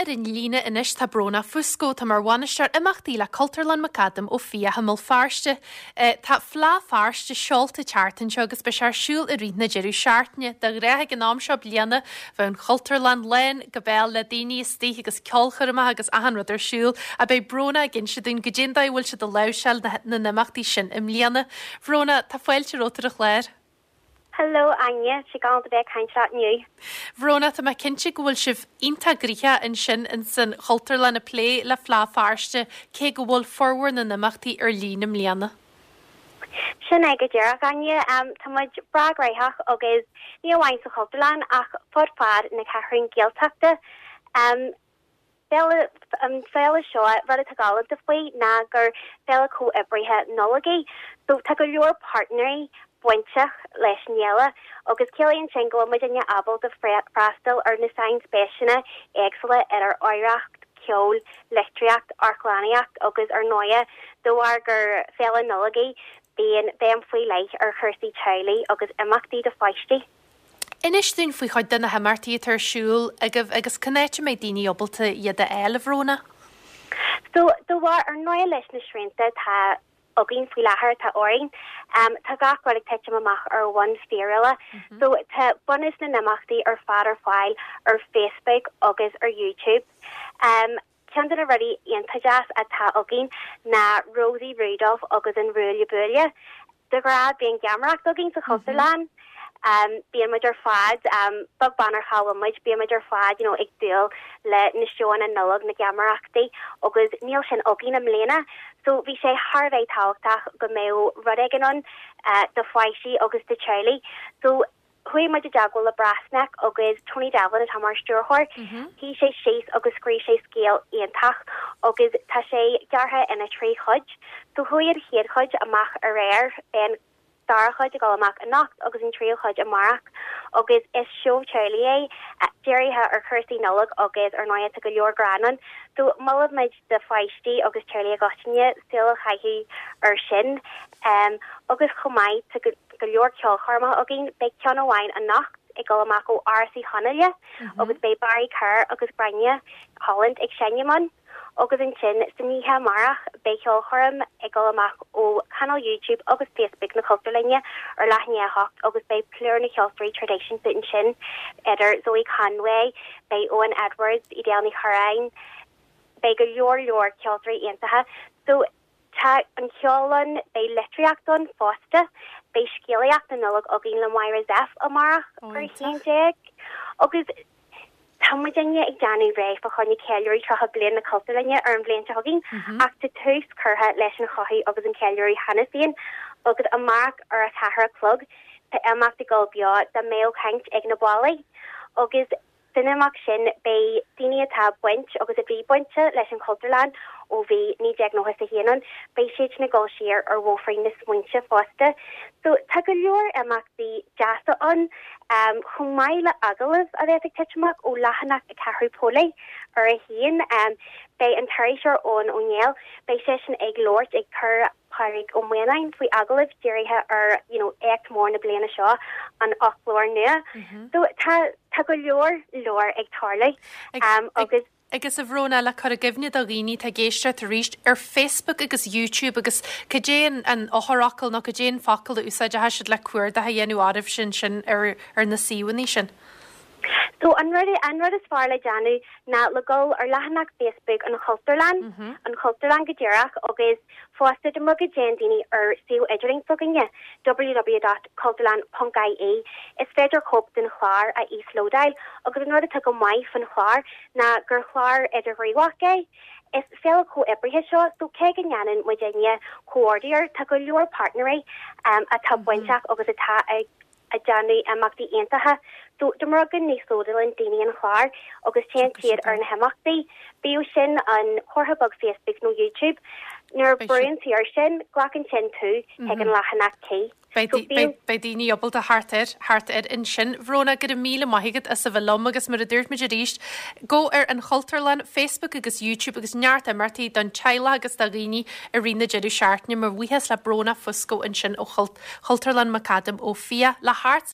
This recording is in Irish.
ar an líne anois tá Brónagh Fusco, atá mar bhainisteoir imeachtaí le Cultúrlann McAdam Ó Fiaich i mBéal Feirste. Tá Fleadh Feirste seolta an tseachtain seo agus beidh sé ar siúl i rith na deireadh seachtaine. De ghnáth ag an am seo bliana bheadh an Chultúrlann lán go béal le daoine istigh agus ceolchoirmeacha agus achan rud ar siúl ach beidh Brónagh ag inse dúinn goidé an dóigh a bhfuil siad ag láimhseáil na n-imeachtaí sin i mbliana. Bhrónagh, tá fáilte romhat ar an chlár. Hello Áine, tá sé galánta bheith ag caint leat inniu. Bhrónagh, tá mé cinnte go bhfuil sibh iontach gnoitheach ansin ins an Chultúrlann ag plé le Fleadh Feirste, cé go bhfuil formhór na n-imeachtaí ar líne i mbliana. Sin é go díreach, Áine. Tá muid breá gnoitheach agus ní amháin sa Chultúrlann ach fud fad na Ceathrún Gaeltachta. Féile, an féile seo, rud atá galánta faoi ná gur féile comhoibrithe Nollag í. So tá go leor páirtnéirí bainteach leis an fhéile agus ciallaíonn sin go bhfuil muidinne ábalta freastal ar na sainspéiseanna éagsúla idir oidhreacht, ceol, litríocht, amharclannaíocht agus ar ndóighe de bharr gur féile Nollag í bíonn béim faoi leith ar chúrsaí teaghlaigh agus imeachtaí do pháistí. Inis dúinn faoi chuid de na himeachtaí atá ar siúl agaibh agus cén áit a mbeidh daoine ábalta iad a fháil, a Bhrónagh? So, de bharr, ar ndóighe leis na srianta atá againn faoi láthair, atá orainn, tá gach rud ag titim amach ar bhonn fíorúla. So, tá bunús na n-imeachtaí ar fad ar fáil ar Facebook agus ar YouTube. Ceann de na rudaí iontach deas atá againn ná Rosie Rudolph agus an Ruaille Buaille. De ghnáth bíonn geamaireacht againn sa Chultúrlann. Bíonn muid ar fad, beag beann ar cá bhfuil muid, bíonn muid ar fad you know ag dúil le na seóanna Nollag, na geamaireachtaí agus níl sin againn i mbliana. So bhí sé thar a bheith tábhachtach go mbeadh rud éigin ann do pháistí agus do teaghlaigh. So Chuaigh muid i dteagmháil le Brasnak agus Tony Devlin atá mar stiúrthóir. Shuigh sé síos agus scríobh sé scéal iontach agus tá sé gearrtha ina thrí chuid. So chuaigh an chéad chuid amach aréir, beidh an dara chuid ag dul amach anocht agus an tríú chuid amárach agus is seó teaghlaigh é, dírithe ar chúrsaí Nollag agus ar ndóigh tá go leor greann ann. So molaimid do pháistí agus teaghlaigh i gcoitinne súil a chaitheamh air sin. Agus chomh maith tá go leor ceolchoirmeacha againn. Beidh ceann amháin anocht ag dul amach ó Áras Uí Chonghaile agus beidh Barry Kerr agus Gráinne Holland ag seinm ann. Agus ansin san oíche amárach beidh ceolchoirm ag dul amach ó chainéal YouTube agus Facebook na Cultúrlainne ar leath i ndiaidh a hocht agus beidh plúr na cheoltóirí traidisiúnta ansin idir Zoe Conway, beidh Owen Edwards, Edel Ní Churráin, beidh go leor leor ceoltóirí iontacha. So tá an ceol ann, beidh litríocht ann fosta, beidh scéalaíocht na Nollag againn le Máire Zepf amárach ar a 11 agus tá muidinne ag déanamh réidh fá choinne ceiliúradh 30 bliain na Cultúrlainne ar an bhliain seo chugainn ach tá tús curtha leis an chothú agus an ceiliúradh cheana féin agus amárach ar a ceathair a chlog tá imeacht ag dul beo dá mbeadh caint ag na ballaí agus San imeacht sin beidh daoine atá baint agus a bhí bainte leis an Chultúrlann ó bhí 1991 ann, beidh siad sin ag dul siar ar bhóithrín na smaointe fosta. So tá go leor imeachtaí deasa ann, chomh maith le agallaimh a bheas ag titim amach ó leathanach a ceathrú Póilí ar a haon. Beidh an t-iriseoir Eoin Ó Néill, beidh seisean ag labhairt, ag cur. Pádraig Ó Maonáin faoi agallamh dírithe ar you know éacht mór na bliana seo, an foclóir nua. So tá tá go leor leor ag tarlú agus. Agus a Bhrónagh, le cur i gcuimhne do dhaoine atá ag éisteacht arís, ar Facebook agus YouTube agus cad é an an eochairfhocal nó cad é an focal a úsáidfeadh siad le cuardach a dhéanamh oraibhse ansin ar ar na suíomhanna sin? So an rud an rud is fearr le déanamh ná le dul ar leathanach Facebook an Chultúrlann, an Chultúrlann go díreach agus Fosta, dá mba go dtéann daoine ar suíomh idirlín s'againne, www.cultúrlann.ie, is féidir cóip den chlár a íoslódáil agus an rud atá go maith faoin chlár ná gur chlár idirghníomhach é. Is féile chomhoibrithe seo so cé go ndéanann muidinne comhordú air, tá go leor páirtnéirí atá bainteach agus atá ag ag déanamh imeachtaí iontacha. So dá mba rud go n-íoslódálann daoine an chlár agus téann siad ar na himeachtaí, bíodh sin an comhartha beag Facebook nó YouTube, nuair a brúnn tú air sin, glacann sin tú chuig an leathanach cuí. Beidh daoine ábalta theacht air, theacht air ansin. Bhrónagh, go raibh míle maith agat as a bheith liom agus mar a dúirt muid arís, gabh ar an Chultúrlann, Facebook agus YouTube agus neart imeachtaí don teaghlach agus do dhaoine i rith na deireadh seachtaine. Mo bhuíochas le Brónagh Fusco ansin ó Chultúrlann McAdam Ó Fiaich le thart.